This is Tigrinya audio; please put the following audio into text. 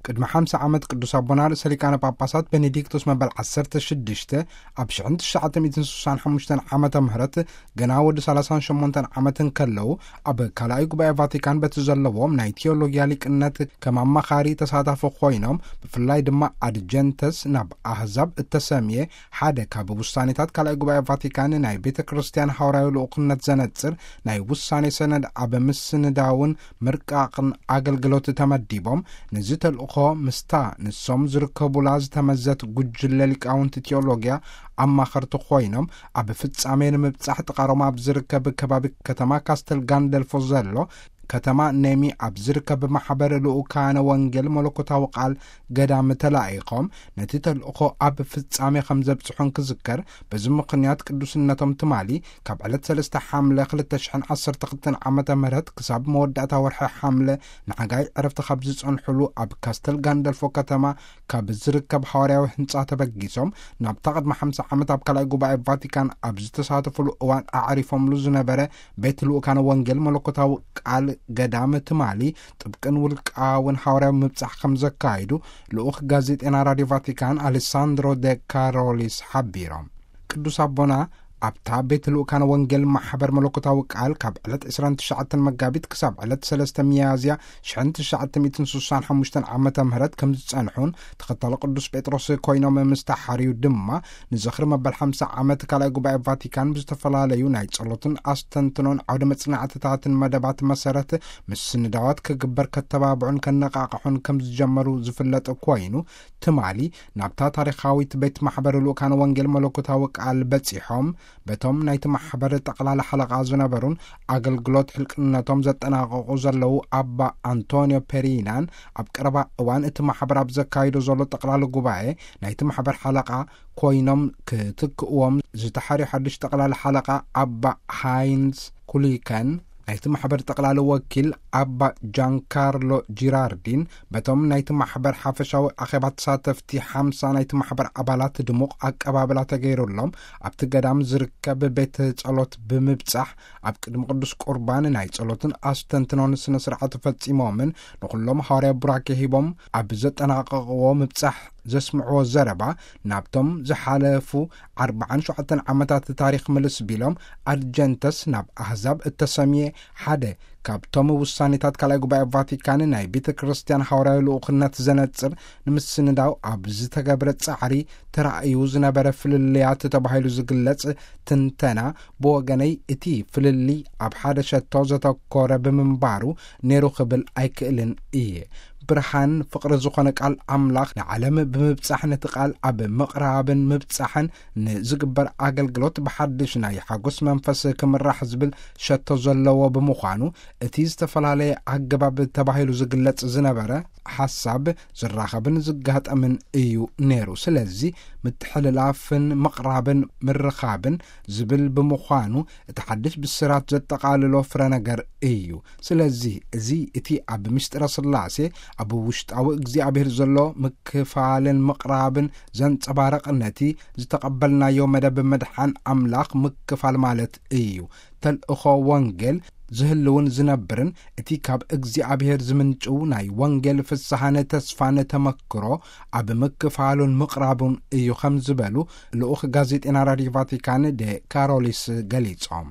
ቅድሚ ሓምሳ ዓመት ቅዱስ ኣቦና ርእሰ ሊቃነ ጳጳሳት ቤኔዲክቶስ መበል ዓሰርተ ሽዱሽተ ኣብ ሽሕን ትሽዓተ ሚእትን ስሳን ሓሙሽተን ዓመተ ምህረት ገና ወዲ ሰላሳን ሸሞንተን ዓመት እንከለዉ፣ ኣብ ካልኣይ ጉባኤ ቫቲካን በቲ ዘለዎም ናይ ቴዎሎጊያ ሊቅነት ከም ኣማኻሪ ተሳታፊ ኮይኖም፣ ብፍላይ ድማ ኣድጀንተስ ናብ ኣህዛብ እተሰምየ ሓደ ካብ ውሳኔታት ካልኣይ ጉባኤ ቫቲካን ናይ ቤተ ክርስቲያን ሃዋርያዊ ልኡኽነት ዘነጽር ናይ ውሳኔ ሰነድ ኣብ ምስንዳውን ምርቃቕን ኣገልግሎት ተመዲቦም፣ ነዚ ተልእኾ ምስታ ንሶም ዝርከቡላ ዝተመዘት ጉጅለ ሊቃውንቲ ቴዎሎጊያ ኣማኸርቲ ኮይኖም ኣብ ፍጻሜ ንምብጻሕ ጥቓሮም ኣብ ዝርከብ ከባቢ ከተማ ካስተል ጋንደልፎ ዘሎ ከተማ ኔሚ ኣብ ዝርከብ ማሕበር ልኡካነ ወንጌል መለኮታዊ ቃል ገዳም ተላኢኾም ነቲ ተልእኾ ኣብ ፍጻሜ ከም ዘብጽሑን ክዝከር። በዚ ምኽንያት ቅዱስነቶም ትማሊ ካብ ዕለት ሰለስተ ሓምለ ክልተ ሽሕን ዓሰርተ ክልተን ዓመተ ምህረት ክሳብ መወዳእታ ወርሒ ሓምለ ንሓጋይ ዕረፍቲ ካብ ዝጸንሑሉ ኣብ ካስተል ጋንደልፎ ከተማ ካብ ዝርከብ ሃዋርያዊ ህንጻ ተበጊሶም ናብታ ቅድሚ ሓምሳ ዓመት ኣብ ካልኣይ ጉባኤ ቫቲካን ኣብ ዝተሳተፉሉ እዋን ኣዕሪፎምሉ ዝነበረ ቤት ልኡካነ ወንጌል መለኮታዊ ቃል ገዳም ትማሊ ጥብቅን ውልቃውን ሃዋርያዊ ምብጻሕ ከም ዘካይዱ ልኡኽ ጋዜጤና ራድዮ ቫቲካን ኣሌሳንድሮ ደ ካሮሊስ ሓቢሮም። ቅዱስ ኣቦና ኣብታ ቤት ልኡካነ ወንጌል ማሕበር መለኮታዊ ቃል ካብ ዕለት ዕስራን ትሽዓተን መጋቢት ክሳብ ዕለት ሰለስተ ሚያዝያ ሽሕን ትሽዓተ ሚእትን ስሳን ሓሙሽተን ዓመተ ምህረት ከም ዝጸንሑን ተኸታሊ ቅዱስ ጴጥሮስ ኮይኖም ምስ ተሓርዩ ድማ ንዝኽሪ መበል ሓምሳ ዓመት ካልኣይ ጉባኤ ቫቲካን ብዝተፈላለዩ ናይ ጸሎትን ኣስተንትኖን ዓውደ መጽናዕትታትን መደባት መሰረት ምስንዳዋት ክግበር ከተባብዑን ከነቃቕሑን ከም ዝጀመሩ ዝፍለጥ ኮይኑ፣ ትማሊ ናብታ ታሪኻዊት ቤት ማሕበር ልኡካን ወንጌል መለኮታዊ ቃል በጺሖም በቶም ናይቲ ማሕበር ጠቕላላ ሓለቓ ዝነበሩን ኣገልግሎት ሕልቅነቶም ዘጠናቐቑ ዘለዉ ኣባ ኣንቶንዮ ፔሪናን ኣብ ቀረባ እዋን እቲ ማሕበር ኣብ ዘካይዶ ዘሎ ጠቕላላ ጉባኤ ናይቲ ማሕበር ሓለቓ ኮይኖም ክትክእዎም ዝተሓርዩ ሓድሽ ጠቕላላ ሓለቓ ኣባ ሃይንዝ ኩሊከን፣ ናይቲ ማሕበር ጠቕላሊ ወኪል ኣባ ጃንካርሎ ጂራርዲን በቶም ናይቲ ማሕበር ሓፈሻዊ ኣኼባ ተሳተፍቲ ሓምሳ ናይቲ ማሕበር ኣባላት ድሙቕ ኣቀባብላ ተገይሩሎም ኣብቲ ገዳም ዝርከብ ቤት ጸሎት ብምብጻሕ ኣብ ቅድሚ ቅዱስ ቁርባን ናይ ጸሎትን ኣስተንትኖን ስነ ስርዓት ፈጺሞምን ንኹሎም ሃዋርያ ቡራኬ ሂቦም ኣብ ዘጠናቐቕዎ ምብጻሕ ዘስምዕዎ ዘረባ ናብቶም ዝሓለፉ ኣርባዓን ሸውዓተን ዓመታት ታሪኽ ምልስ ቢሎም ኣድጀንተስ ናብ ኣህዛብ እተሰምየ ሓደ ካብቶም ውሳኔታት ካልኣይ ጉባኤ ቫቲካን ናይ ቤተ ክርስቲያን ሃዋርያዊ ልኡኽነት ዘነጽር ንምስንዳው ኣብ ዝተገብረ ጻዕሪ ተራእዩ ዝነበረ ፍልልያት ተባሂሉ ዝግለጽ ትንተና ብወገነይ እቲ ፍልልይ ኣብ ሓደ ሸቶ ዘተኮረ ብምንባሩ ነይሩ ክብል ኣይክእልን እየ። ብርሃን ፍቕሪ ዝኾነ ቃል ኣምላኽ ንዓለም ብምብጻሕ ነቲ ቃል ኣብ ምቕራብን ምብጻሕን ንዝግበር ኣገልግሎት ብሓድሽ ናይ ሓጎስ መንፈስ ክምራሕ ዝብል ሸቶ ዘለዎ ብምዃኑ እቲ ዝተፈላለየ ኣገባብ ተባሂሉ ዝግለጽ ዝነበረ ሓሳብ ዝራኸብን ዝጋጠምን እዩ ነይሩ። ስለዚ ምትሕልላፍን ምቕራብን ምርኻብን ዝብል ብምዃኑ እቲ ሓድሽ ብስራት ዘጠቓልሎ ፍረ ነገር እዩ። ስለዚ እዚ እቲ ኣብ ምስጢረ ስላሴ ኣብ ውሽጣዊ እግዚኣብሔር ዘሎ ምክፋልን ምቕራብን ዘንጸባርቕ ነቲ ዝተቐበልናዮ መደብ ምድሓን ኣምላኽ ምክፋል ማለት እዩ። ተልእኾ ወንጌል ዝህልውን ዝነብርን እቲ ካብ እግዚኣብሔር ዝምንጭው ናይ ወንጌል ፍስሓን ተስፋን ተመክሮ ኣብ ምክፋሉን ምቕራቡን እዩ ከም ዝበሉ ልኡኽ ጋዜጤና ራድዮ ቫቲካን ደ ካሮሊስ ገሊጾም።